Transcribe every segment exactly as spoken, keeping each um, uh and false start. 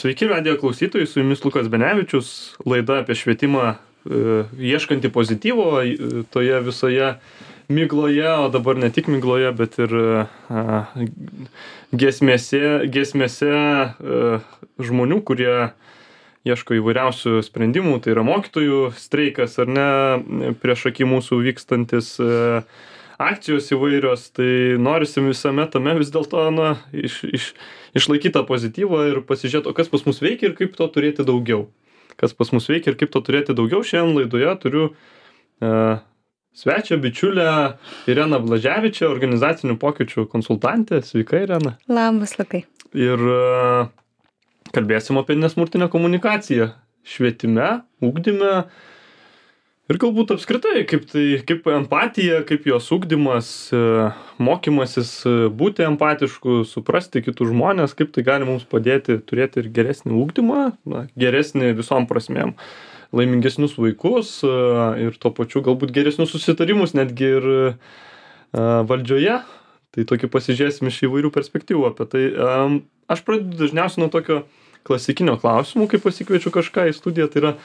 Sveiki radijo klausytojai, su jumis Lukas Benevičius, laida apie švietimą e, ieškanti pozityvo e, toje visoje migloje, o dabar ne tik migloje, bet ir e, giesmėse, giesmėse e, žmonių, kurie ieško įvairiausių sprendimų, tai yra mokytojų streikas ar ne, prieš akį mūsų vykstantis e, akcijos įvairios, tai norisi visame tame vis dėlto na, iš, iš, išlaikyti tą pozityvą ir pasižiūrėti, o kas pas mus veikia ir kaip to turėti daugiau. Kas pas mus veikia ir kaip to turėti daugiau. Šiandien laidoje turiu uh, svečią, bičiulę Ireną Blaževičią, organizacinių pokyčių konsultantę. Sveika, Irena. Labas, Lukai. Ir uh, kalbėsim apie nesmurtinę komunikaciją švietime, ugdyme. Ir galbūt apskritai, kaip, tai, kaip empatija, kaip jos ugdymas, mokymasis būti empatišku, suprasti kitus žmonės, kaip tai gali mums padėti turėti ir geresnį ugdymą, na, geresnį visom prasmėm, laimingesnius vaikus ir tuo pačiu galbūt geresnius susitarimus netgi ir valdžioje. Tai tokį pasižiūrėsim iš įvairių perspektyvų apie tai. Aš pradedu dažniausiai nuo tokio klasikinio klausimo, kai pasikviečiu kažką į studiją, tai yra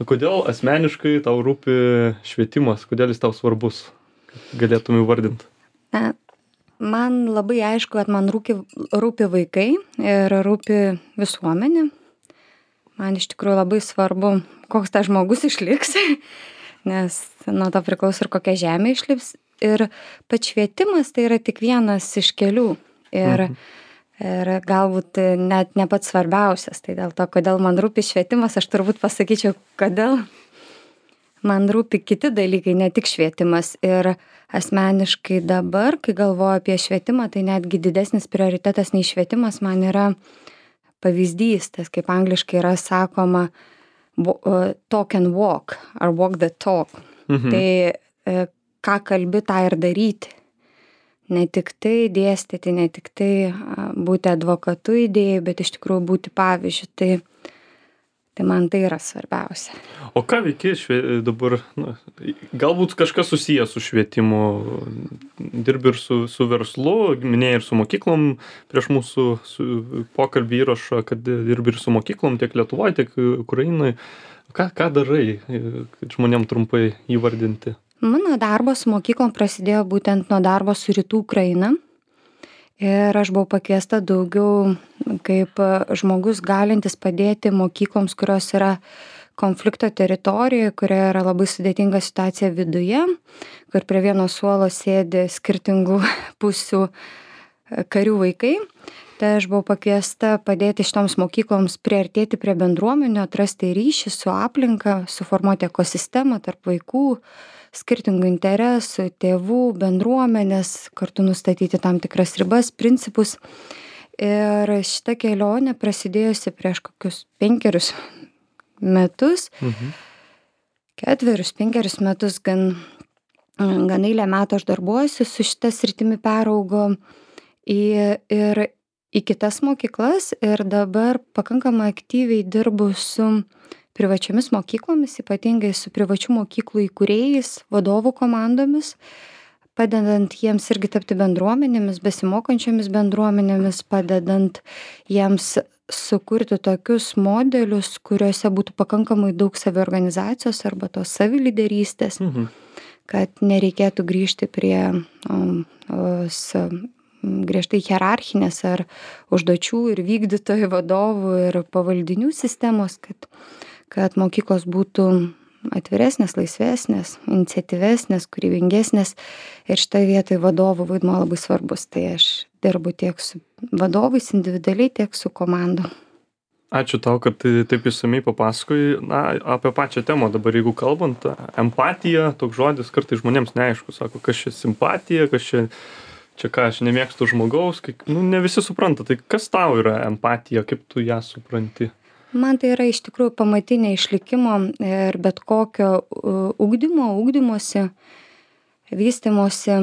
kodėl asmeniškai tau rūpi švietimas, kodėl jis tau svarbus, galėtum įvardinti? Na, man labai aišku, kad man rūpi, rūpi vaikai ir rūpi visuomenė. Man iš tikrųjų labai svarbu, koks tas žmogus išliks, nes nuo to priklauso ir kokia žemė išlips. Ir pats švietimas tai yra tik vienas iš kelių. Ir mhm. Ir galbūt net ne pats svarbiausias. Tai dėl to, kodėl man rūpi švietimas, aš turbūt pasakyčiau, kodėl man rūpi kiti dalykai, ne tik švietimas. Ir asmeniškai dabar, kai galvoju apie švietimą, tai netgi didesnis prioritetas nei švietimas man yra pavyzdys, tas kaip angliškai yra sakoma talk and walk, ar walk the talk. Mhm. Tai ką kalbi, tą ir daryti. Ne tik tai dėstyti, ne tik tai būti advokatu idėjai, bet iš tikrųjų būti pavyzdžiu. Tai, tai man tai yra svarbiausia. O ką veiki švie... dabar? Na, galbūt kažkas susijęs su švietimu. Dirbi ir su, su verslu, minėjai ir su mokyklom prieš mūsų su pokalbį įrašą, kad dirbi ir su mokyklom tiek Lietuvoje, tiek Ukrainoje. Ką, ką darai, kad žmonėm trumpai įvardinti? Mano darbas su mokyklom prasidėjo būtent nuo darbo su Rytų Ukraina. Ir aš buvau pakviesta daugiau kaip žmogus galintis padėti mokykloms, kurios yra konflikto teritorijoje, kurioje yra labai sudėtinga situacija viduje, kur prie vieno suolo sėdi skirtingų pusių karių vaikai. Tai aš buvau pakviesta padėti šitoms mokykloms priartėti prie bendruomenio, atrasti ryšį su aplinka, suformuoti ekosistemą tarp vaikų, skirtingų interesų, tėvų, bendruomenės, kartu nustatyti tam tikras ribas, principus. Ir šita kelionė prasidėjusi prieš kokius penkerius metus, mhm. ketverius, penkerius metus, gan, gan eilę metų aš darbuojuosi su šita sritimi, peraugo į, ir į kitas mokyklas ir dabar pakankamai aktyviai dirbu su privačiomis mokyklomis, ypatingai su privačių mokyklų įkūrėjais, vadovų komandomis, padedant jiems irgi tapti bendruomenėmis, besimokančiomis bendruomenėmis, padedant jiems sukurti tokius modelius, kuriuose būtų pakankamai daug saviorganizacijos arba tos saviliderystės, mhm. kad nereikėtų grįžti prie um, os, griežtai hierarchinės ar užduočių ir vykdytojų, vadovų ir pavaldinių sistemos, kad kad mokyklos būtų atviresnės, laisvesnės, iniciatyvesnės, kūrybingesnės ir šitoje vietoje vadovų vaidmuo labai svarbus. Tai aš dirbu tiek su vadovais individualiai, tiek su komandom. Ačiū tau, kad taip išsamiai papasakojai. Na, apie pačią temą dabar, jeigu kalbant, empatija, toks žodis kartais žmonėms neaišku, sako, kas čia simpatija, kas čia, čia ką, aš nemėgstu žmogaus, kai, nu, ne visi supranta, tai kas tau yra empatija, kaip tu ją supranti? Man tai yra iš tikrųjų pamatinė išlikimo ir bet kokio ugdymo, ugdymosi, vystymosi,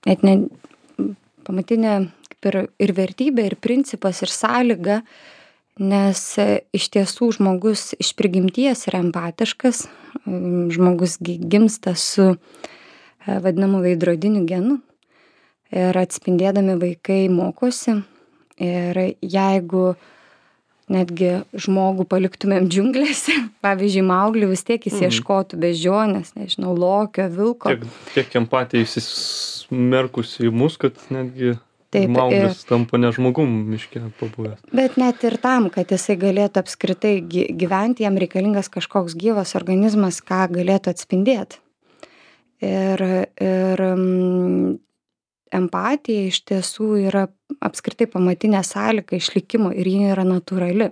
net ne, pamatinė kaip ir, ir vertybė, ir principas, ir sąlyga, nes iš tiesų žmogus iš prigimties yra empatiškas, žmogus gimsta su vadinamu veidrodiniu genu ir atspindėdami vaikai mokosi Ir jeigu netgi žmogų paliktumėm džiunglėse, pavyzdžiui, Mauglį, vis tiek jis Mhm. ieškotų beždžionės, nežinau, lokio, vilko. Tiek, tiek empatija įsismerkusi į mus, kad netgi Taip, Mauglis tampa ne žmogum miške pabuvęs. Bet net ir tam, kad jisai galėtų apskritai gy- gyventi, jam reikalingas kažkoks gyvas organizmas, ką galėtų atspindėti. Ir, ir mm, empatija iš tiesų yra apskritai pamatinė sąlyga išlikimo ir ji yra natūrali.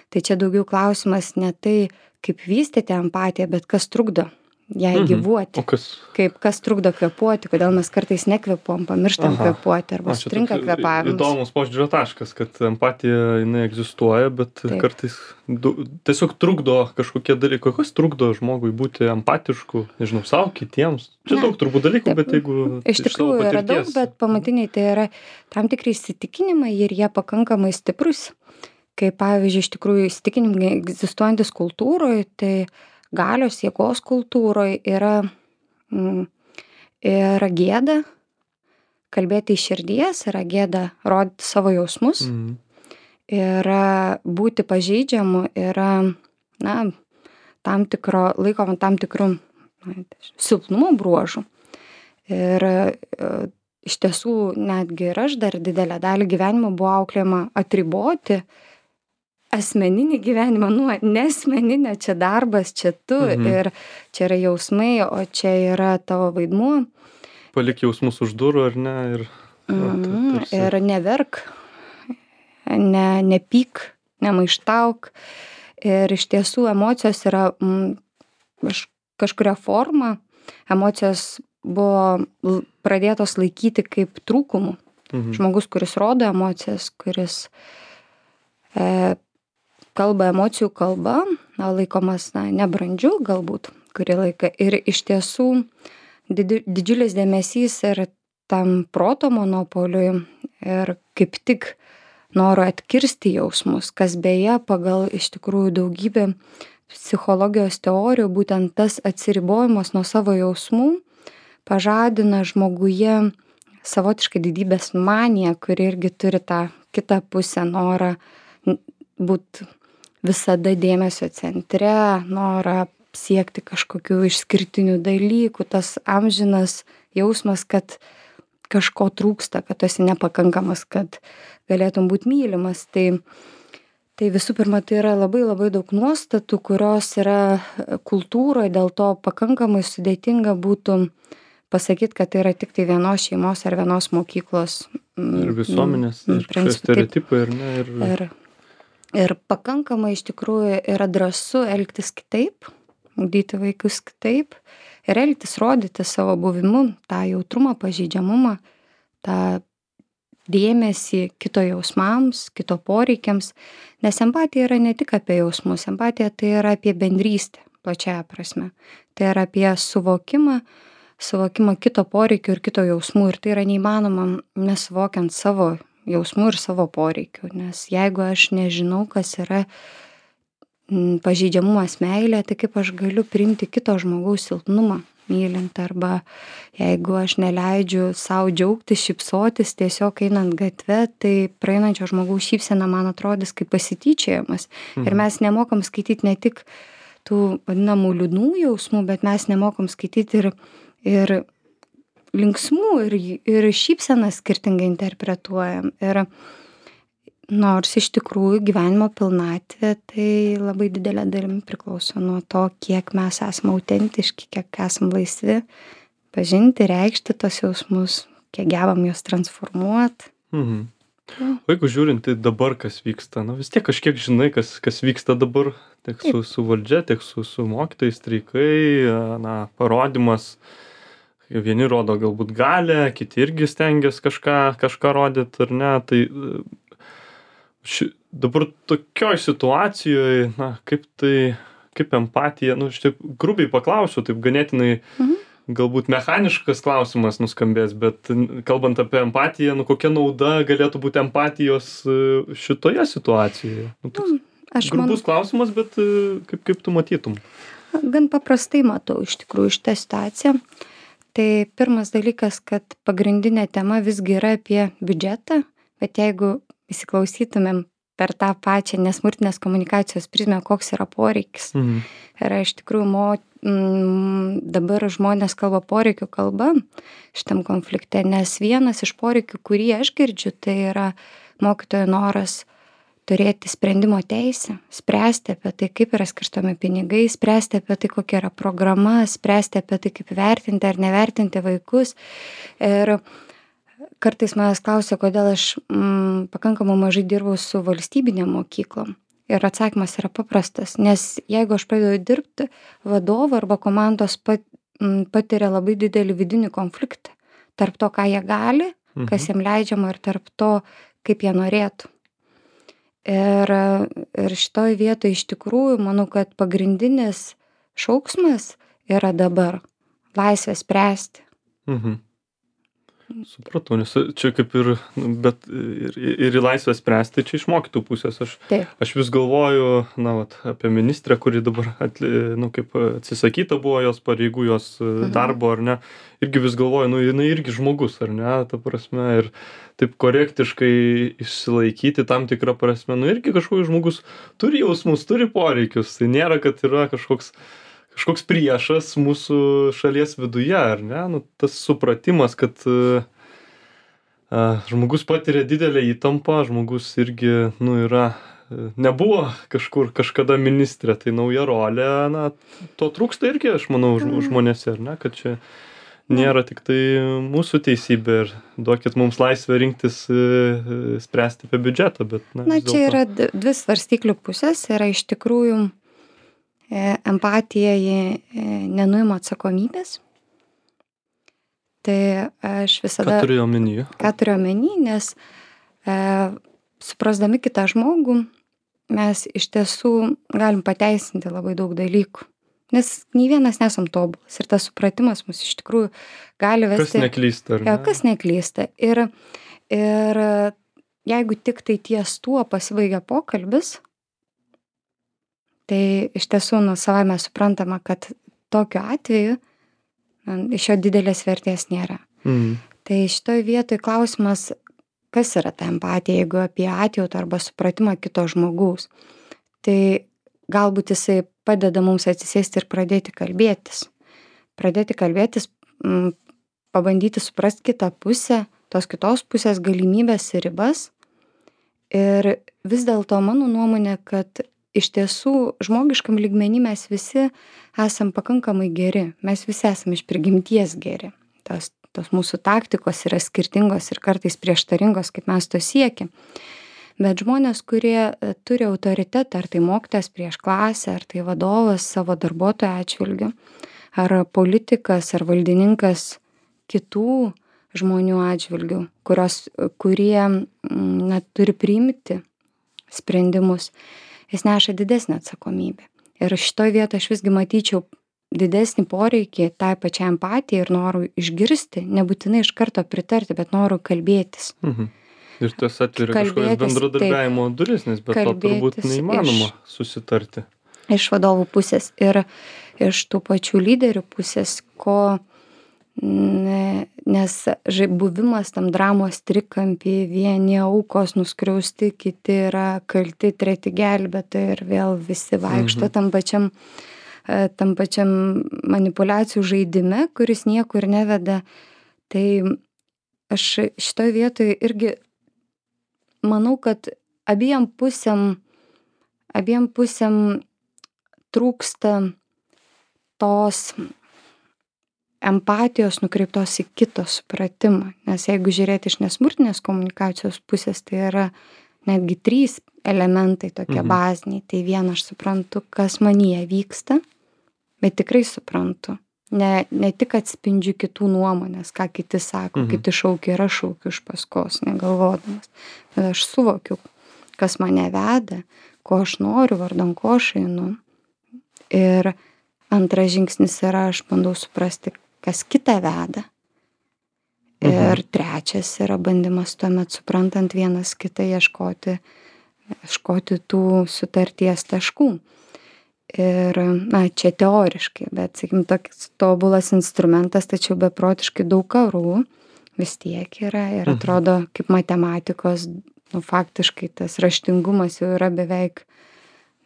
Tai čia daugiau klausimas ne tai, kaip vystyti empatiją, bet kas trukdo jai Mhm. gyvuoti. O kas? Kaip kas trukdo kvėpuoti, kodėl mes kartais nekvėpuojam, pamirštam Aha. kvėpuoti arba O, čia sutrinka toks kvėpavimas. Įdomus požiūrio taškas, kad empatija jinai egzistuoja, bet Taip. kartais du, tiesiog trukdo kažkokie dalykai. Kas trukdo žmogui būti empatišku, nežinau, savo, kitiems? Čia Ne. daug turbūt dalykų, Taip. bet jeigu... Iš tikrųjų savo yra daug, patirties- bet pamatiniai tai yra tam tikri įsitikinimai ir jie pakankamai stiprus. Kaip pavyzdžiui, iš tikrųjų įsitikinimai egzistuojantis kultūroje, tai galios jėgos kultūroje yra, mm, yra gėda kalbėti iš širdies, yra gėda rodyti savo jausmus, Mhm. yra būti pažeidžiamu, yra, na, tam tikro, laikoma tam tikrų na, silpnumo bruožų. Ir e, iš tiesų netgi ir aš dar didelę dalį gyvenimo buvau auklėjama atriboti asmeninį gyvenimą nuo nesmeninio, čia darbas, čia tu Mhm. ir čia yra jausmai, o čia yra tavo vaidmuo. Palik jausmus už durų, ar ne? Ir, na, ta- Mhm. tarsi- Ir neverk, ne, nepyk, nemaištauk. Ir iš tiesų emocijos yra mm, kaž- kažkuria forma, emocijos buvo l- pradėtos laikyti kaip trūkumų. Mhm. Žmogus, kuris rodo emocijas, kuris e, kalba emocijų kalba, na, laikomas na, nebrandžiu galbūt kurį laiką. Ir iš tiesų didi, didžiulis dėmesys ir tam proto monopoliui ir kaip tik noro atkirsti jausmus, kas beje pagal iš tikrųjų daugybę psichologijos teorijų, būtent tas atsiribojimas nuo savo jausmų pažadina žmoguje savotiškai didybės maniją, kuri irgi turi tą kitą pusę, norą būti visada dėmesio centre, norą siekti kažkokių išskirtinių dalykų, tas amžinas jausmas, kad kažko trūksta, kad tu esi nepakankamas, kad galėtum būti mylimas. Tai, tai visų pirma, tai yra labai labai daug nuostatų, kurios yra kultūroje, dėl to pakankamai sudėtinga būtų pasakyti, kad tai yra tik tai vienos šeimos ar vienos mokyklos. Ir visuomenės, ir kažkokie stereotipai, ir ne. Ir... Ir, ir pakankamai iš tikrųjų yra drąsu elgtis kitaip, ugdyti vaikus kitaip ir elgtis, rodyti savo buvimu, tą jautrumą, pažeidžiamumą, tą dėmesį kito jausmams, kito poreikiams. Nes empatija yra ne tik apie jausmus, empatija tai yra apie bendrystę, plačiaja prasme. Tai yra apie suvokimą, suvokimą kito poreikių ir kito jausmų. Ir tai yra neįmanoma nesuvokiant savo jausmų ir savo poreikių. Nes jeigu aš nežinau, kas yra m, pažeidžiamumas meilė, tai kaip aš galiu priimti kito žmogaus silpnumą mylint. Arba jeigu aš neleidžiu savo džiaugtis, šypsotis tiesiog einant gatve, tai praeinančio žmogaus šypsena man atrodys kaip pasityčiojimas. Mhm. Ir mes nemokam skaityti ne tik tų vadinamų liūdnų jausmų, bet mes nemokam skaityti ir ir linksmų, ir, ir šypseną skirtingai interpretuojam. Ir nors iš tikrųjų gyvenimo pilnatvė tai labai didelė dalimi priklauso nuo to, kiek mes esame autentiški, kiek esame laisvi pažinti, reikšti tos jausmus, kiek gebam juos transformuoti. Mhm. O jeigu žiūrint į dabar, kas vyksta, na vis tiek kažkiek žinai, kas, kas vyksta dabar, tiek su, su valdžia, tiek su, su mokytojais, streikai, na, parodimas. Vieni rodo galbūt galę, kiti irgi stengiasi kažką, kažką rodyti ar ne. Tai ši, dabar tokioj situacijoje, na, kaip tai, kaip empatija, nu, aš taip grubiai paklausiu, taip ganėtinai mhm. galbūt mechaniškas klausimas nuskambės, bet kalbant apie empatiją, nu, kokia nauda galėtų būti empatijos šitoje situacijoje? Nu, toks aš grubus man... klausimas, bet kaip, kaip tu matytum? Gan paprastai matau iš tikrųjų šitą situaciją. Tai pirmas dalykas, kad pagrindinė tema visgi yra apie biudžetą, bet jeigu įsiklausytumėm per tą pačią nesmurtinės komunikacijos prizmę, koks yra poreikis. Mhm. Ir iš tikrųjų mo, m, dabar žmonės kalba poreikių kalba šitam konflikte, nes vienas iš poreikių, kurį aš girdžiu, tai yra mokytojo noras turėti sprendimo teisę, spręsti apie tai, kaip yra skirstomi pinigai, spręsti apie tai, kokia yra programa, spręsti apie tai, kaip vertinti ar nevertinti vaikus. Ir kartais manęs klausia, kodėl aš mm, pakankamai mažai dirbau su valstybinėm mokyklom. Ir atsakymas yra paprastas, nes jeigu aš pradedu dirbti, vadovą arba komandos pat, m, patiria labai didelį vidinį konfliktą tarp to, ką jie gali, Mhm. kas jiem leidžiama ir tarp to, kaip jie norėtų. Ir, ir šitoj vietoj iš tikrųjų manau, kad pagrindinis šauksmas yra dabar laisvė spręsti. Mhm. Supratau, nes čia kaip ir, nu, bet ir, ir į laisvę spręsti, čia iš mokytojų pusės. Aš, Taip. aš vis galvoju, na, vat, apie ministrę, kuri dabar, atli, nu, kaip atsisakyta buvo jos pareigų, jos mhm. darbo, ar ne. Irgi vis galvoju, nu, jinai irgi žmogus, ar ne, ta prasme, ir taip korektiškai išsilaikyti tam tikrą prasme, nu, irgi kažkoks žmogus turi jausmus, turi poreikius. Tai nėra, kad yra kažkoks kažkoks priešas mūsų šalies viduje, ar ne? Nu, tas supratimas, kad uh, žmogus patiria didelę įtampą, žmogus irgi, nu, yra, nebuvo kažkur kažkada ministrė, tai nauja rolė, na, to trūksta irgi, aš manau, žmonėse, ar ne? Kad čia nėra tik tai mūsų teisybė ir duokit mums laisvę rinktis, spręsti apie biudžetą, bet, na, Na, čia yra dvi svarstyklių pusės, yra iš tikrųjų empatija nenuima atsakomybės. Tai aš visada... Ką turiu omeny? Ką turiu omeny, nes e, suprasdami kitą žmogų, mes iš tiesų galim pateisinti labai daug dalykų. Nes nei vienas nesam tobulas ir tas supratimas mus iš tikrųjų gali vesti... Kas neklysta, ar ne? Ja, kas neklysta. Ir, ir jeigu tik tai ties tuo pasibaigia pokalbis, tai iš tiesų nu savame suprantama, kad tokiu atveju na, iš jo didelės vertės nėra. Mhm. Tai šitoj vietoj klausimas, kas yra ta empatija, jeigu apie atjautą arba supratimą kito žmogaus. Tai galbūt jisai padeda mums atsisėsti ir pradėti kalbėtis. Pradėti kalbėtis, m, pabandyti suprasti kitą pusę, tos kitos pusės galimybės ir ribas. Ir vis dėlto mano nuomonė, kad iš tiesų žmogiškam lygmenį mes visi esam pakankamai geri. Mes visi esam iš prigimties geri. Tos, tos mūsų taktikos yra skirtingos ir kartais prieštaringos, kaip mes to siekiam. Bet žmonės, kurie turi autoritetą, ar tai mokytojas prieš klasę, ar tai vadovas savo darbuotojo atžvilgiu, ar politikas, ar valdininkas kitų žmonių atžvilgių, kurios, kurie na, turi priimti sprendimus, jis neša didesnę atsakomybę. Ir šitoj vietoje aš visgi matyčiau didesnį poreikį tai pačiai empatijai ir noru išgirsti, nebūtinai iš karto pritarti, bet noru kalbėtis. Mhm. Ir tas atveria kažkokias bendradarbiavimo duris, nes be to turbūt neįmanoma iš, susitarti. Iš vadovų pusės ir iš tų pačių lyderių pusės, ko nes buvimas tam dramos trikampy, vieni aukos nuskriausti, kiti yra kalti, treti gelbėtojai ir vėl visi vaikšto mhm. tam pačiam, tam pačiam manipulacijų žaidime, kuris niekur neveda. Tai aš šitoj vietoj irgi manau, kad abiem pusėm, abiem pusėm trūksta tos empatijos nukreiptos į kito supratimą. Nes jeigu žiūrėti iš nesmurtinės komunikacijos pusės, tai yra netgi trys elementai tokie mhm. baziniai. Tai vieną aš suprantu, kas manyje vyksta, bet tikrai suprantu. Ne, ne tik atspindžiu kitų nuomonės, ką kiti sako, mhm. kiti šaukia ir aš šaukiu iš paskos, negalvodamas. Bet aš suvokiu, kas mane veda, ko aš noriu, vardan ko aš einu. Ir antras žingsnis yra, aš bandau suprasti, kas kitą veda. Ir mhm. trečias yra bandymas tuomet suprantant vienas kitą ieškoti, ieškoti tų sutarties taškų. Ir, na, čia teoriškai, bet, sakykim, toks tobulas instrumentas, tačiau beprotiškai daug karų vis tiek yra ir atrodo kaip matematikos nu, faktiškai tas raštingumas jau yra beveik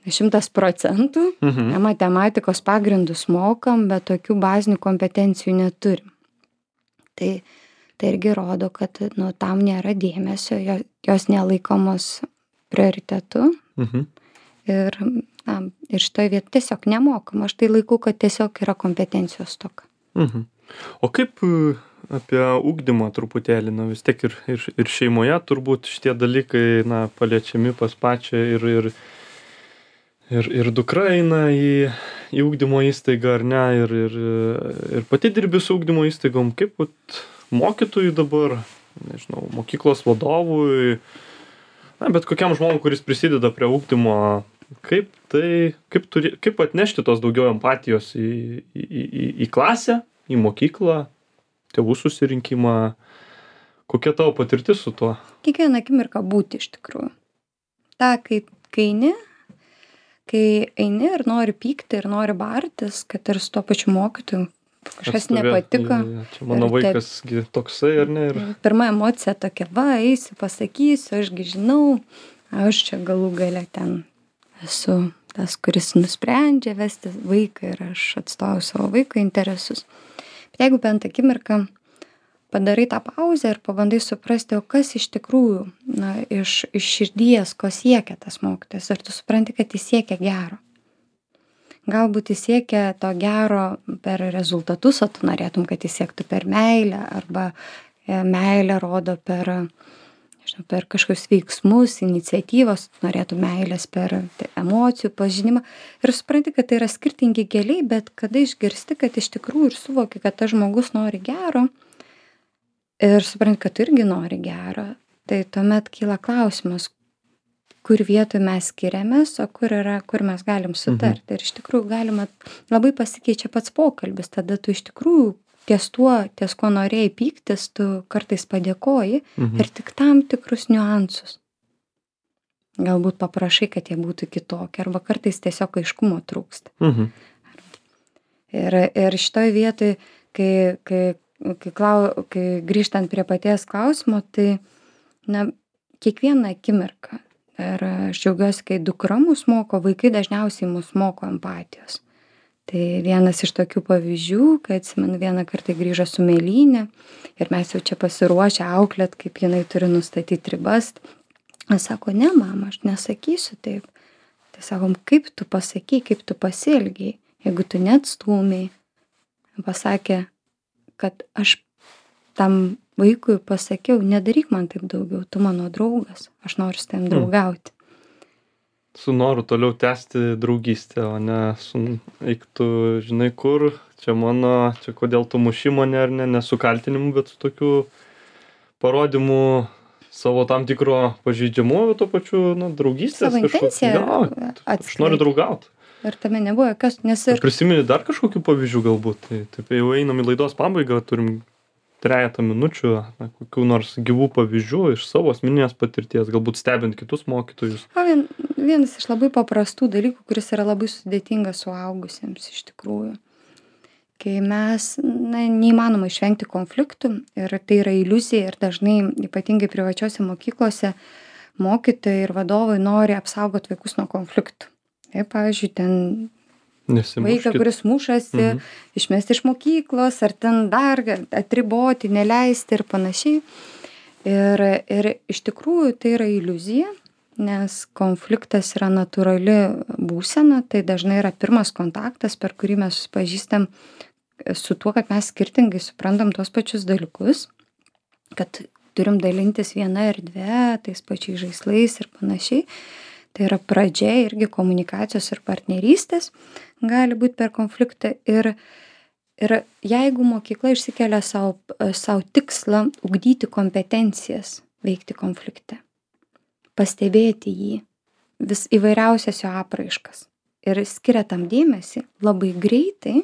šimtas procentų. Mhm. Matematikos pagrindus mokam, bet tokių bazinių kompetencijų neturim. Tai, tai irgi rodo, kad nu, tam nėra dėmesio, jo- jos nelaikomos prioritetu. Mhm. Ir, na, ir šitoje vietoje tiesiog nemokam. Aš tai laikau, kad tiesiog yra kompetencijos stoka. Mhm. O kaip e, apie ugdymą truputėlį, na vis tiek ir, ir, ir šeimoje turbūt šitie dalykai, na, paliečiami pas pačią ir, ir, ir, ir dukra eina į, į ugdymo įstaigą ar ne, ir, ir, ir pati dirbi su ugdymo įstaigom, kaip vat, mokytojui dabar, nežinau, mokyklos vadovui, na, bet kokiam žmogui, kuris prisideda prie ugdymo, kaip tai, kaip, turi, kaip atnešti tos daugiau empatijos į, į, į, į klasę, į mokyklą, tėvų susirinkimą, kokia tavo patirtis su tuo? Kiekvieną akimirką būti iš tikrųjų. Ta, kai, kai eini, kai eini ir nori pykti ir nori bartis, kad ir su tuo pačiu mokytoju kažkas Atstovė- nepatiko. Ja, ja, čia mano Ir taip- vaikas gi toksai, ar ne? Ir... Pirma emocija tokia, va, eisiu, pasakysiu, ašgi žinau, aš čia galų gale ten esu tas, kuris nusprendžia vesti vaiką ir aš atstovauju savo vaiko interesus. Bet jeigu bent akimirką padarai tą pauzę ir pabandai suprasti, o kas iš tikrųjų, na, iš, iš širdies, ko siekia tas mokytojas, ir tu supranti, kad jis siekia gero. Galbūt jis siekia to gero per rezultatus, o tu norėtum, kad jis siektų per meilę, arba e, meilę rodo per, nežinau, per kažkokius veiksmus, iniciatyvas, tu norėtum meilės per tai, emocijų pažinimą. Ir supranti, kad tai yra skirtingi keliai, bet kada išgirsti, kad iš tikrųjų ir suvoki, kad tas žmogus nori gero, ir supranti, kad tu irgi nori gero, tai tuomet kyla klausimas, kur vietoj mes skiriamės, o kur yra, kur mes galim sutarti. Mhm. Ir iš tikrųjų galima, labai pasikeičia pats pokalbis, tada tu iš tikrųjų ties tuo, ties ko norėjai pyktis, tu kartais padėkoji mhm. ir tik tam tikrus niuansus. Galbūt paprašai, kad jie būtų kitokie, arba kartais tiesiog aiškumo trūksta. Mhm. Ir, ir šitoj vietoj, kai, kai, kai, klau, kai grįžtant prie paties klausimo, tai na, kiekvieną akimirką, ir aš džiaugiuosi, kai dukra mus moko, vaikai dažniausiai mus moko empatijos. Tai vienas iš tokių pavyzdžių, kai atsimenu, vieną kartą grįžo su mėlynė ir mes jau čia pasiruošę auklėt, kaip jinai turi nustatyti ribas. Jis sako, ne, mama, aš nesakysiu taip. Tai sakom, kaip tu pasakai, kaip tu pasielgiai, jeigu tu neatstūmiai. Pasakė, kad aš tam vaikui pasakiau, nedaryk man taip daugiau, tu mano draugas, aš noriu su tavim draugauti. Su noru toliau tęsti draugystę, o ne su, eik tu, žinai kur, čia mano, čia kodėl tu muši mane ar ne, ne su kaltinimu, bet su tokiu parodymu savo tam tikro pažeidžiamumo, bet tuo pačiu, na, draugystės. Savo intenciją Aš noriu draugauti. Ir tame nebuvo jokios, nes ir... Prisimeni dar kažkokių pavyzdžių galbūt, tai taip jau einam į laidos pabaigą, turim trejatą minučių, na, kokių nors gyvų pavyzdžių iš savo asmeninės patirties, galbūt stebint kitus mokytojus. O vien, vienas iš labai paprastų dalykų, kuris yra labai sudėtingas suaugusiems iš tikrųjų. Kai mes, na, neįmanoma išvengti konfliktų ir tai yra iliuzija ir dažnai, ypatingai privačiose mokyklose, mokytojai ir vadovai nori apsaugoti vaikus nuo konfliktų. Tai, pavyzdžiui, ten vaiką, kuris mušasi, mhm. išmesti iš mokyklos, ar ten dar atriboti, neleisti ir panašiai. Ir, ir iš tikrųjų tai yra iliuzija, nes konfliktas yra natūrali būsena, tai dažnai yra pirmas kontaktas, per kurį mes susipažįstam su tuo, kad mes skirtingai suprantam tos pačius dalykus, kad turim dalintis vieną erdvę, tais pačiais žaislais ir panašiai. Tai yra pradžia irgi komunikacijos ir partnerystės gali būti per konfliktą. Ir, ir jeigu mokykla išsikelia savo, savo tikslą ugdyti kompetencijas veikti konflikte, pastebėti jį, vis įvairiausias jo apraiškas ir skiria tam dėmesį, labai greitai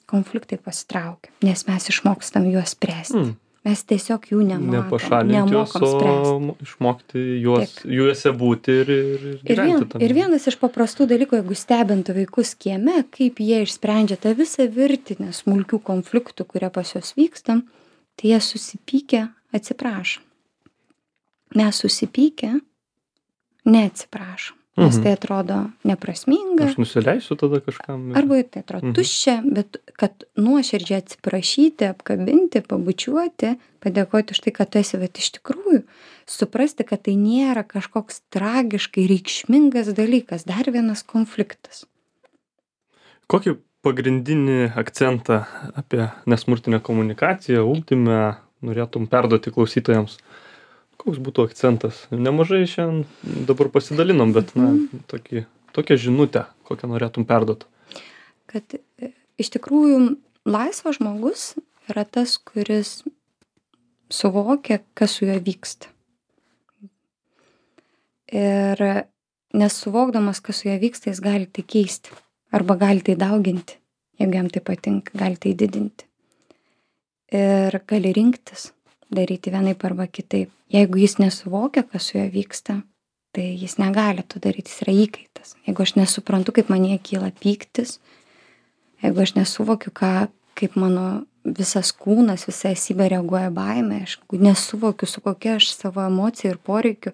konfliktai pasitraukia, nes mes išmokstam juos spręsti. Mm. Mes tiesiog jų nematom, nepašalinti juos, o išmokti juos, juose būti ir, ir, ir gyventi. Ir, vien, ir vienas iš paprastų dalykų, jeigu stebintų vaikus kieme, kaip jie išsprendžia tą visą virtinę smulkių konfliktų, kurie pas juos vyksta, tai jie susipykę atsiprašo. mes susipykę neatsiprašom, nes Mhm. tai atrodo neprasminga, Aš nusileisiu tada kažkam. ir- arba tai atrodo Mhm. tuščia, bet kad nuoširdžiai atsiprašyti, apkabinti, pabučiuoti, padėkoti už tai, kad tu esi, bet iš tikrųjų suprasti, kad tai nėra kažkoks tragiškai reikšmingas dalykas, dar vienas konfliktas. Kokį pagrindinį akcentą apie nesmurtinę komunikaciją, ugdyme norėtum perduoti klausytojams? Koks būtų akcentas? Nemažai šiandien dabar pasidalinom, bet na, tokį, tokią žinutę, kokią norėtum perduoti. Kad e, iš tikrųjų laisvas žmogus yra tas, kuris suvokia, kas su juo vyksta. Ir nesuvokdamas, kas su juo vyksta, jis gali tai keisti. Arba gali tai dauginti, jeigu jam tai patinka, gali tai didinti. Ir gali rinktis, daryti vienaip arba kitaip. Jeigu jis nesuvokia, kas su juo vyksta, tai jis negali to daryti, jis yra įkaitas. Jeigu aš nesuprantu, kaip manyje kyla pyktis, jeigu aš nesuvokiu, ką, kaip mano visas kūnas, visa esybė reaguoja baimė, aš nesuvokiu, su kokia aš savo emocija ir poreikiu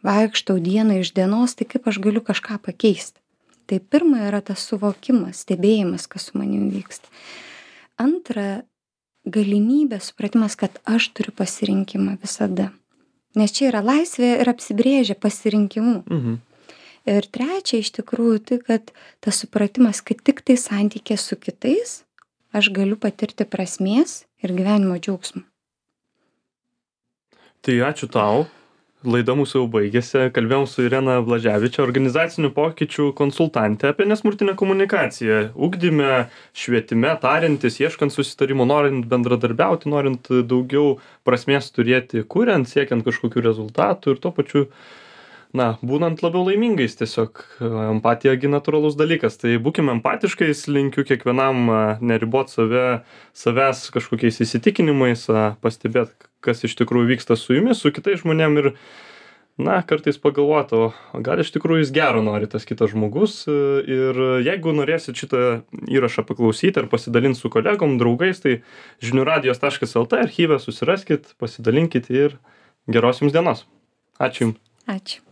vaikštau dieną iš dienos, tai kaip aš galiu kažką pakeisti. Tai pirma yra tas suvokimas, stebėjimas, kas su manim vyksta. Antra, galimybė, supratimas, kad aš turiu pasirinkimą visada. Nes čia yra laisvė ir apsibrėžia pasirinkimu. Mhm. Ir trečia, iš tikrųjų, tai, kad tas supratimas, kad tik tai santykė su kitais, aš galiu patirti prasmės ir gyvenimo džiaugsmą. Tai ačiū tau. Laida mūsų jau baigėsi. Kalbėjom su Irena Blaževičė, organizacinių pokyčių konsultantė apie nesmurtinę komunikaciją. Ugdyme, švietime, tariantis, ieškant susitarimo, norint bendradarbiauti, norint daugiau prasmės turėti, kuriant, siekiant kažkokių rezultatų ir tuo pačiu, na, būnant labiau laimingais tiesiog. Empatija gi natūralus dalykas. Tai būkime empatiškais, linkiu kiekvienam neribot save, savęs kažkokiais įsitikinimais, pastebėt, kas iš tikrųjų vyksta su jumis, su kitais žmonėm ir, na, kartais pagalvoti, o gal iš tikrųjų jis gero nori tas kitas žmogus. Ir jeigu norėsit šitą įrašą paklausyti ar pasidalinti su kolegom, draugais, tai žinių radijos taškas lt archyve susiraskit, pasidalinkit ir geros jums dienos. Ačiū jums. Ačiū.